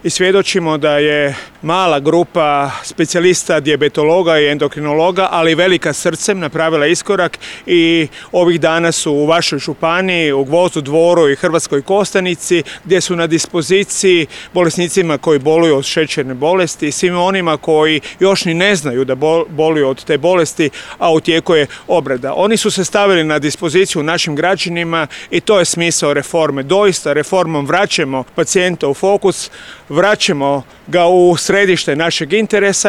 I svjedočimo da je mala grupa specijalista dijabetologa i endokrinologa, ali velika srcem, napravila iskorak i ovih dana su u vašoj županiji, u Gvozdu, Dvoru i Hrvatskoj Kostajnici, gdje su na dispoziciji bolesnicima koji boluju od šećerne bolesti i svima onima koji još ni ne znaju da boluju od te bolesti, a u tijeku je obrada. Oni su se stavili na dispoziciju našim građanima i to je smisao reforme. Doista reformom vraćamo pacijenta u fokus, vraćamo ga u središte našeg interesa.